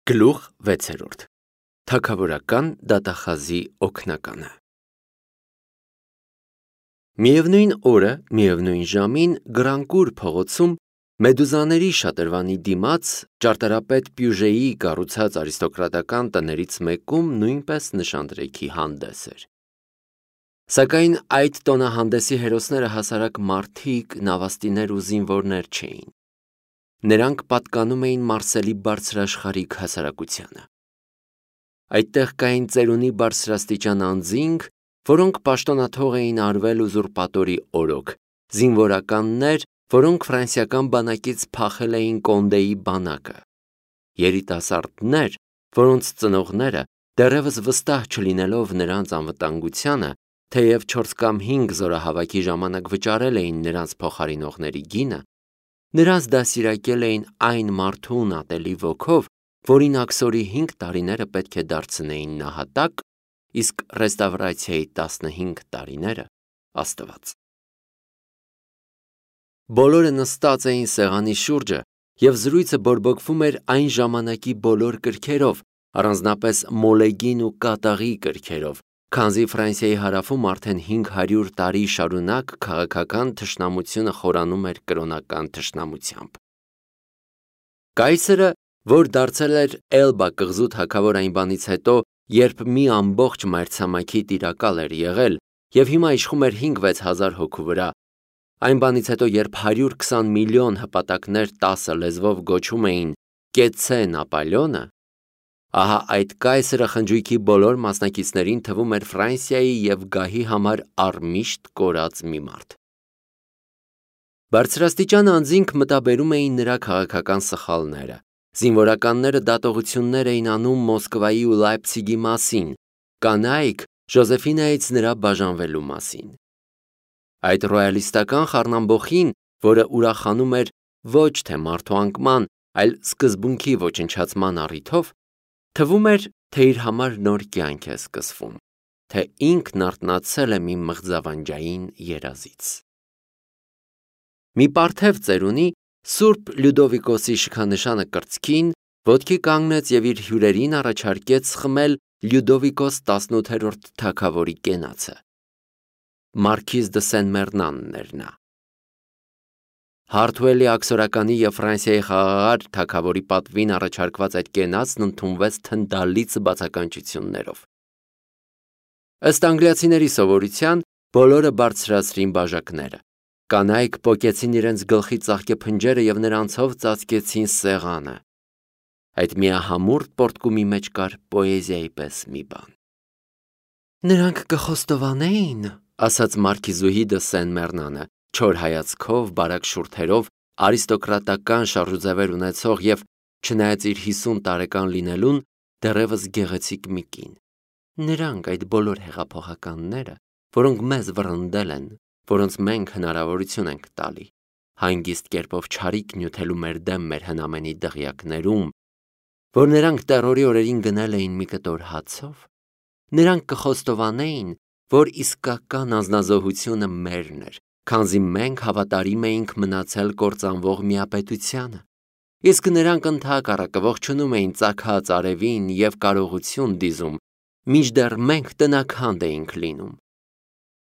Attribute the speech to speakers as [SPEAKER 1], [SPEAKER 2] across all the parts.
[SPEAKER 1] Գլուխ 6. Թագավորական դատախազի օգնականը։ Միևնույն օրը, միևնույն ժամին Գրանկուր փողոցում մեդուզաների շատրվանի դիմաց ճարտարապետ Պյուժեի կառուցած արիստոկրատական տներից մեկում նույնպես նշանдрեքի հանդես էր։ Սակայն այդ տոնահանդեսի հերոսները հասարակ մարդիկ, նավաստիներ ու զինվորներ չէին։ Նրանք պատկանում էին Մարսելի բարձրաշխարհիկ հասարակությանը։ Այդտեղ կային ծերունի բարձրաստիճան անձինք, որոնք պաշտոնաթող էին արվել ուզուրպատորի օրոք, զինվորականներ, որոնք ֆրանսիական բանակից փախել էին Կոնդեի բանակը, երիտասարդներ, որոնց ծնողները, դեռևս վստահ չլինելով նրանց անվտանգությանը, թեև 4 կամ 5 զորահավաքի ժամանակ վճարել էին նրանց փոխարինողների գինը, նրանց դասիրակել էին այն մարդուն ատելի ոգով, որին աքսորի 5 տարիները պետք է դարձնեին նահատակ, իսկ ռեստավրացիայի 15 տարիները աստված։ Բոլորը նստած էին սեղանի շուրջը, և զրույցը բորբոքվում էր այն ժամանակի բոլոր կրքերով, առանձնապես մոլեգին ու կատաղի կրքերով, քանզի Ֆրանսիայի հարավում արդեն 500 տարի շարունակ քաղաքական թշնամությունը խորանում էր կրոնական թշնամությամբ։ Կայսրը, որ դարձել էր Էլբա կղզու թագավոր այն բանից հետո, երբ մի ամբողջ մայրցամաքի տիրակալ էր եղել և հիմա իշխում էր 5-6 հազար հոգու վրա, այն բանից հետո, երբ 120 միլիոն հպատակներ 10 լեզվով գոչում էին «Կեցցե Նապոլեոնը», ահա այդ կայսրը խնջույքի բոլոր մասնակիցներին թվում էր Ֆրանսիայի և գահի համար առմիշտ կորած մի մարդ։ Բարձրաստիճան անձինք մտաբերում էին նրա քաղաքական սխալները, զինվորականները դատողություններ էին անում Մոսկվայի ու Լայպցիգի մասին, կանայք Ժոզեֆինայից նրա բաժանվելու մասին։ Այդ ռոյալիստական խառնամբոխին, որը ուրախանում էր ոչ թե մարդու անկման, այլ սկզբունքի ոչնչացման առիթով, թվում էր, թե իր համար նոր կյանք է սկսվում, թե ինքն արթնացել է մի մղձավանջային երազից։ Մի պարթև ծերունի Սուրբ Լյուդովիկոսի շքանշանը կրծքին, ոտքի կանգնեց և իր հյուրերին առաջարկեց խմել Լյուդովիկոս 18-րդ թագավորի կենացը։ Մարքիզ դը Սեն-Մեռնանն էր նա։ Հարթուելի աքսորականի և Ֆրանսիայի խաղաղար թագավորի պատվին առաջարկված այդ կենացն ընդունվեց թնդալից բացականչություններով։ Ըստ անգլիացիների սովորության, բոլորը բարձրացրին բաժակները, կանայք պոկեցին իրենց գլխի ծաղկե փնջերը և նրանցով ծածկեցին սեղանը։ Այդ միահամուռ պոռթկումի մեջ կար պոեզիայի պես մի բան։ Նրանք կխոստովանեին, ասաց մարքիզուհի դը Սեն-Մեռնանը, չոր հայացքով, բարակ շուրթերով, արիստոկրատական շարժուձևեր ունեցող և, չնայած իր 50 տարեկան լինելուն, դեռևս գեղեցիկ մի կին։ Նրանք այդ բոլոր հեղափոխականները, որոնք մեզ վռնդել են, որոնց մենք հնարավորություն ենք տալի, հանգիստ կերպով չարիք նյութելու մեր դեմ մեր հնամենի դղյակներում, որ նրանք տերորի օրերին գնել էին մի կտոր հացով, նրանք կխոստովանեին, որ իսկական անձնազոհությունը մերն էր, քանզի մենք հավատարիմ էինք մնացել կործանվող միապետությանը, իսկ նրանք ընդհակառակը ողջունում էին ծագած արևին և կարողություն դիզում, մինչդեռ մենք տնաքանդ էինք լինում։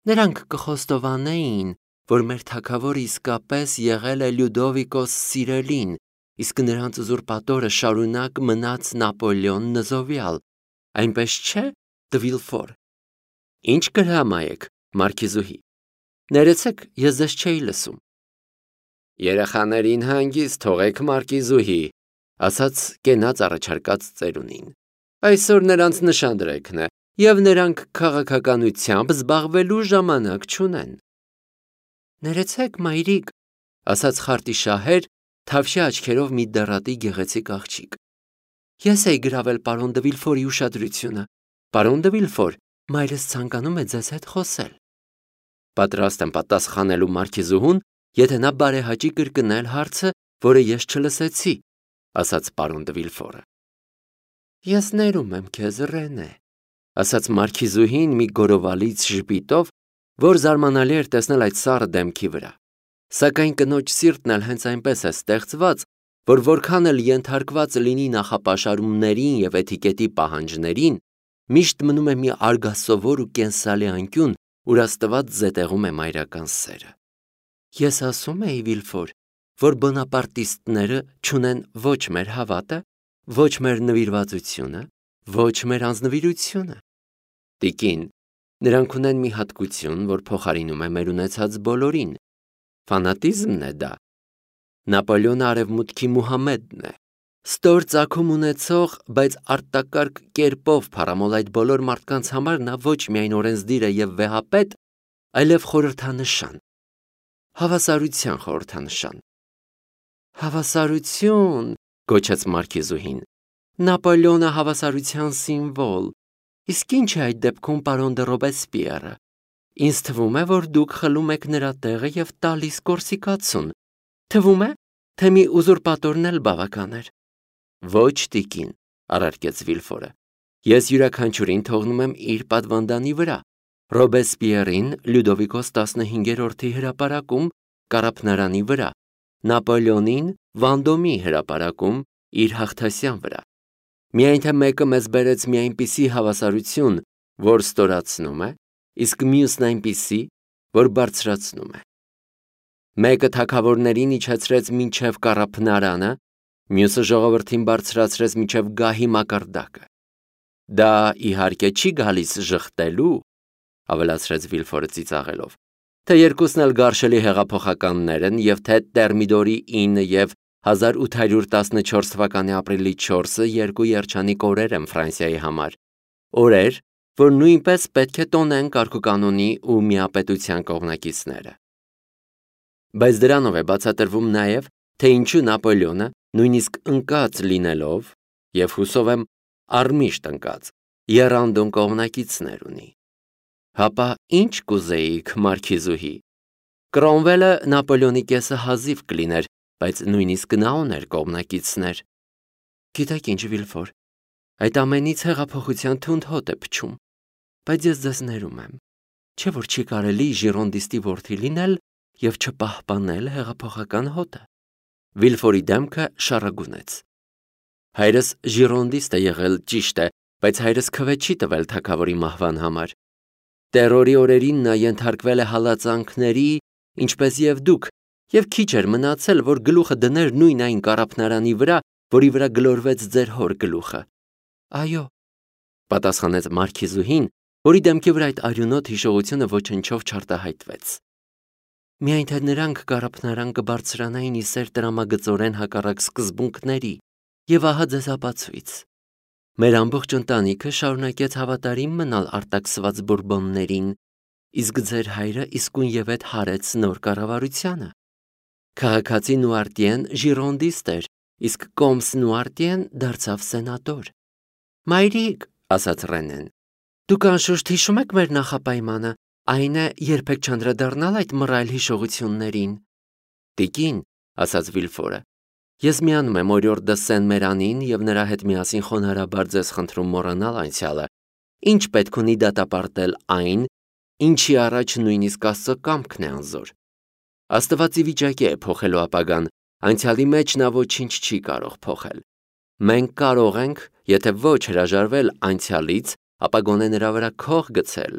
[SPEAKER 1] Նրանք կխոստովանեին, որ մեր թագավորը իսկապես եղել է Լյուդովիկոս Սիրելին, իսկ նրանց ուզուրպատորը շարունակ մնաց Նապոլեոն Նզովյալ, այնպես չէ, դը Վիլֆոր։ Ինչ կհրամայեք, մարքիզուհի։ Ներեցեք, ես ձեզ չէի լսում։ Երեխաներին հանգիստ թողեք, մարքիզուհի, ասաց կենաց առաջարկած ծերունին։ Այսօր նրանց նշանдрեքն է, և նրանք քաղաքականությամբ զբաղվելու ժամանակ չունեն։ Ներեցեք, մայրիկ, ասաց խարտի շահեր, թավշյա աչքերով մի դեռատի գեղեցիկ աղջիկ։ Ես էի գրավել պարոն դը Վիլֆորի ուշադրությունը։ Պարոն դը Վիլֆոր, մայրս ցանկանում է ձեզ հետ խոսել։ Պատրաստ եմ պատասխանելու մարքիզուհուն, եթե նա բարեհաճի կրկնել հարցը, որը ես չլսեցի, ասաց պարոն դը Վիլֆորը։ Ես ներում եմ քեզ, Ռենե, ասաց մարքիզուհին մի գորովալից ժպիտով, որ զարմանալի էր տեսնել այդ սառը դեմքի վրա։ Սակայն կնոջ սիրտն էլ հենց այնպես է ստեղծված, որ որքան էլ ենթարկված լինի նախապաշարումներին եւ էթիկետի պահանջներին, միշտ մնում է մի արգասովոր ու կենսալի անկյուն, ուր Աստված զետեղում է մայրական սերը։ Ես ասում էի, Վիլֆոր, որ բոնապարտիստները չունեն ոչ մեր հավատը, ոչ մեր նվիրվածությունը, ոչ մեր անձնվիրությունը։ Տիկին, նրանք ունեն մի հատկություն, որ փոխարինում է մեր ունեցած բոլորին։ Ֆանատիզմն է դա։ Նապոլեոնը արևմուտքի Մուհամեդն է։ Ստոր ծագում ունեցող, բայց արտակարգ կերպով փառամոլ այդ բոլոր մարդկանց համար նա ոչ միայն օրենսդիր է եւ վեհապետ, այլև խորհրդանշան։ Հավասարության խորհրդանշան։ Հավասարություն, գոչեց մարքիզուհին։ Նապոլեոնը հավասարության սիմվոլ։ Իսկ ինչ է այդ դեպքում պարոն դը Ռոբեսպիերը։ Ինձ թվում է, որ դուք խլում եք նրա տեղը եւ տալիս կորսիկացուն։ Թվում է, թե մի ուզուրպատորն էլ բավական էր։ Ոչ, տիկին, առարկեց Վիլֆորը։ Ես յուրաքանչյուրին թողնում եմ իր պատվանդանի վրա։ Ռոբեսպիերին Լյուդովիկոս 15-րդի հրապարակում Կարապնարանի վրա, Նապոլեոնին Վանդոմի հրապարակում իր հաղթասյան վրա։ Միայն թե մեկը մեզ բերեց մի այնպիսի հավասարություն, որ ստորացնում է, իսկ մյուսն այնպիսի, որ բարձրացնում է։ Մեկը թագավորներին իջեցրեց մինչև Կարապնարանը, մյուսը ժողովրդին բարձրացրեց մինչև գահի մակարդակը։ Դա իհարկե չի գալիս ժխտելու, ավելացրեց Վիլֆորը ծիծաղելով, թե երկուսն էլ գարշելի հեղափոխականներ են և թե Տերմիդորի 9 և 1814 թվականի ապրիլի 4-ը երկու երջանիկ օրեր են Ֆրանսիայի համար, օրեր, որ նույնպես պետք է տոնեն կարգուկանոնի ու միապետության կողմնակիցները։ Բայց դրանով է բացատրվում նաև, թե ինչու Նապոլեոնը, նույնիսկ ընկած լինելով, և հուսով եմ առմիշտ ընկած, եռանդուն կողմնակիցներ ունի։ Հապա ինչ կուզեիք, մարքիզուհի։ Կրոմվելը Նապոլեոնի կեսը հազիվ կլիներ, բայց նույնիսկ նա ուներ կողմնակիցներ։ Գիտեք ինչ, Վիլֆոր, այդ ամենից հեղափոխության թունդ հոտ է փչում, բայց ես ձեզ ներում եմ, չէ՞ որ չի կարելի ժիրոնդիստի որդի լինել և չպահպանել հեղափոխական հոտը։ Վիլֆորի դեմքը շառագունեց։ Հայրս ժիրոնդիստ է եղել, ճիշտ է, բայց հայրս քվե չի տվել թագավորի մահվան համար։ Տերորի օրերին նա ենթարկվել է հալածանքների, ինչպես և դուք, և քիչ էր մնացել, որ գլուխը դներ նույն այն Կարապնարանի վրա, որի վրա գլորվեց ձեր հոր գլուխը։ Այո, պատասխանեց մարքիզուհին, որի դեմքի վրա այդ արյունոտ հիշողությունը ոչնչով չարտահայտվեց։ Միայն թե նրանք Կարապնարան կբարձրանային իսեր տրամագծորեն հակառակ սկզբունքների, և ահա ձեզ ապացույց։ Մեր ամբողջ ընտանիքը շարունակեց հավատարիմ մնալ արտաքսված Բուրբոններին, իսկ ձեր հայրը իսկույնևեթ հարեց նոր կառավարությանը։ Քաղաքացի Նուարտիեն ժիրոնդիստ էր, իսկ Կոմս Նուարտիեն դարձավ սենատոր։ Մայրիկ, ասաց Ռենեն, դուք անշուշտ հիշում եք մեր նախապայմանը, այն է երբեք չանդրադառնալ այդ մռայլ հիշողություններին։ Տիկին, ասաց Վիլֆորը, ես միանում եմ օրիորդ դը Սեն-Մերանին և նրա հետ միասին խոնարհաբար ձեզ խնդրում մոռանալ անցյալը, ինչ պետք ունի դատապարտել այն, ինչի առաջ նույնիսկ Աստծո կամքն է անզոր։ Աստված ի վիճակի է փոխելու ապագան, անցյալի մեջ նա ոչինչ չի կարող փոխել։ Մենք կարող ենք, եթե ոչ հրաժարվել անցյալից, ապա գոնե նրա վրա քող գցել։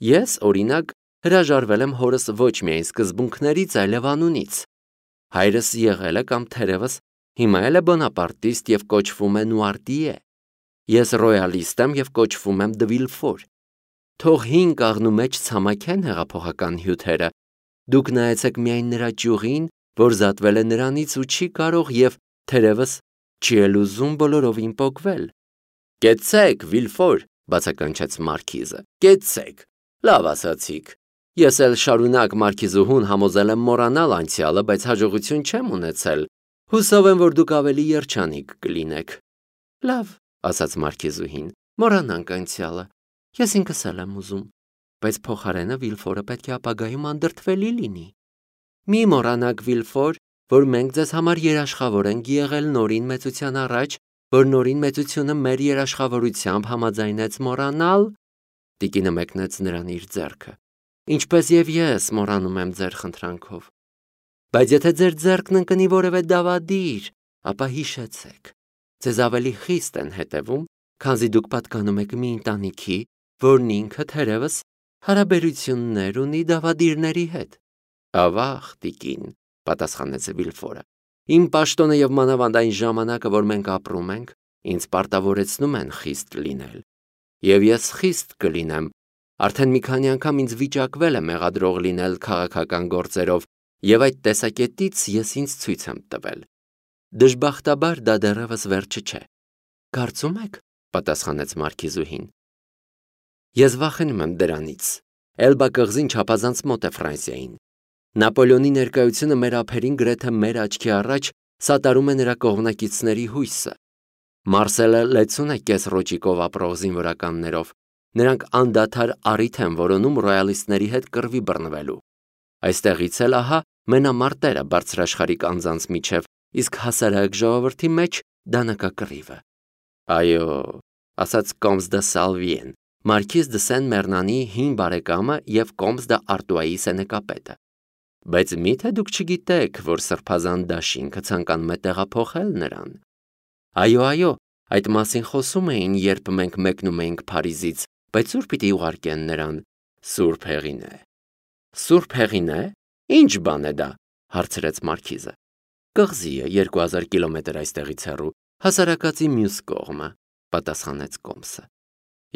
[SPEAKER 1] Ես, օրինակ, հրաժարվել եմ հորս ոչ միայն սկզբունքներից, այլև անունից։ Հայրս եղել է կամ թերևս հիմա էլ է բոնապարտիստ և կոչվում է Նուարտիե։ Ես ռոյալիստ եմ և կոչվում եմ Դը Վիլֆոր։ Թող հին կաղնու մեջ ցամաքեն հեղափոխական հյութերը։ Դուք նայեցեք միայն նրա ճյուղին, որ զատվել է նրանից ու չի կարող և թերևս չի էլ ուզում բոլորովին պոկվել։ Կեցցեք, Վիլֆոր, բացականչեց մարքիզը, կեցցեք, լավ ասացիք։ Ես էլ շարունակ մարքիզուհուն համոզել եմ մոռանալ անցյալը, բայց հաջողություն չեմ ունեցել։ Հուսով եմ, որ դուք ավելի երջանիկ կլինեք։ Լավ, ասաց մարքիզուհին, մոռանանք անցյալը։ Ես ինքս էլ եմ ուզում, բայց փոխարենը Վիլֆորը պետք է ապագայում անդրդվելի լինի։ Մի մոռանաք, Վիլֆոր, որ մենք ձեզ համար երաշխավոր ենք եղել նորին մեծության առաջ, որ նորին մեծությունը մեր երաշխավորությամբ համաձայնեց մոռանալ։ Տիկինը մեկնեց նրան իր ձեռքը։ Ինչպես և ես մոռանում եմ ձեր խնդրանքով։ Բայց եթե ձեր ձեռքն ընկնի որևէ դավադիր, ապա հիշեցեք, ձեզ ավելի խիստ են հետևում, քանզի դուք պատկանում եք մի ընտանիքի, որն ինքը թերևս հարաբերություններ ունի դավադիրների հետ։ Ավաղ, տիկին, պատասխանեց Վիլֆորը, իմ պաշտոնը եւ մանավանդ այն ժամանակը, որ մենք ապրում ենք, ինձ պարտավորեցնում են խիստ լինել։ Եվ ես խիստ կլինեմ, արդեն մի քանի անգամ ինձ վիճակվել է մեղադրող լինել քաղաքական գործերով, եւ այդ տեսակետից ես ինձ ցույց եմ տվել։ Դժբախտաբար դա դեռևս վերջը չէ։ Կարծում եք, պատասխանեց մարքիզուհին։ Ես վախենում եմ դրանից։ Էլբա կղզին չափազանց մոտ է Ֆրանսիային։ Նապոլեոնի ներկայությունը մեր ափերին գրեթե մեր աչքի առաջ սատարում է նրա կողմնակիցների հույսը։ Մարսելը լեցուն է կես ռոճիկով ապրող զինվորականներով։ Նրանք անդադար առիթ են որոնում ռոյալիստների հետ կռվի բռնվելու։ Այստեղից էլ ահա մենամարտերը բարձրաշխարհիկ անձանց միջև, իսկ հասարակ ժողովրդի մեջ դանակակռիվը։ Այո, ասաց Կոմս դը Սալվիեն, մարքիզ դը Սեն-Մեռնանի հին բարեկամը եւ Կոմս դը Արտուայի սենեկապետը։ Բայց միթե դուք չգիտեք, որ սրբազան դաշինքը ցանկանում է տեղափոխել նրան։ Այո, այդ մասին խոսում էին, երբ մենք մեկնում էինք Փարիզից, բայց ուր պիտի ուղարկեն նրան։ Սուրբ հեղին է։ Սուրբ հեղին է։ Ինչ բան է դա, հարցրեց մարքիզը։ Կղզի է 2000 կիլոմետր այստեղից հեռու, հասարակածի մյուս կողմը, պատասխանեց Կոմսը։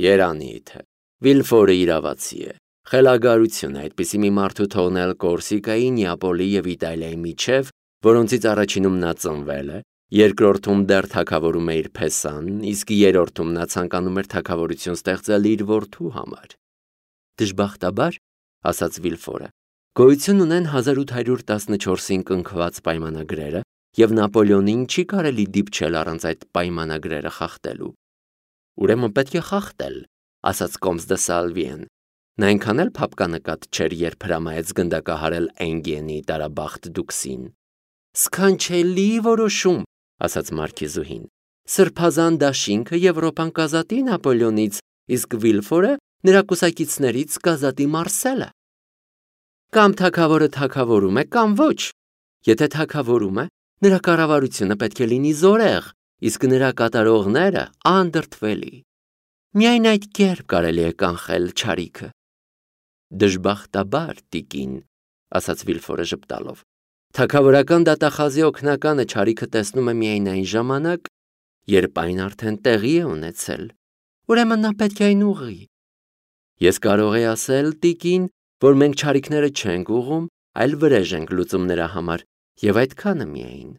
[SPEAKER 1] Երանի թե Վիլֆորը իրավացի է։ Խելագարություն է այդպիսի մի մարդու թողնել Կորսիկայի, Նեապոլի եւ Իտալիայի միջև, որոնցից առաջինում նա ծնվել է, երկրորդում դեռ թագավորում է իր փեսան, իսկ երրորդում նա ցանկանում էր թագավորություն ստեղծել իր որդու համար։ Դժբախտաբար, ասաց Վիլֆորը, գոյություն ունեն 1814-ին կնքված պայմանագրերը, եւ Նապոլեոնին չի կարելի դիպչել առանց այդ պայմանագրերը խախտելու։ Ուրեմն պետք է խախտել, ասաց Կոմս դը Սալվիեն։ Նա այնքան էլ փապկանկատ չէր, երբ հրամայեց գնդակահարել Էնգիենի տարաբախտ դուքսին։ Սքանչելի որոշում, ասաց մարքիզուհին։ Սրբազան դաշինքը Եվրոպան կազատի Նապոլեոնից, իսկ Վիլֆորը նրա կուսակիցներից կազատի Մարսելը։ Կամ թագավորը թագավորում է, կամ ոչ։ Եթե թագավորում է, նրա կառավարությունը պետք է լինի զորեղ, իսկ նրա կատարողները անդրդվելի։ Միայն այդ կերպ կարելի է կանխել չարիքը։ Դժբախտաբար, տիկին, ասաց Վիլֆորը ժպտալով, թագավորական դատախազի օգնականը չարիքը տեսնում է միայն այն ժամանակ, երբ այն արդեն տեղի է ունեցել։ Ուրեմն նա պետք է այն ուղղի։ Ես կարող եի ասել, տիկին, որ մենք չարիքները չենք ուղղում, այլ վրեժ ենք լուծում նրա համար, եւ այդքանը միայն։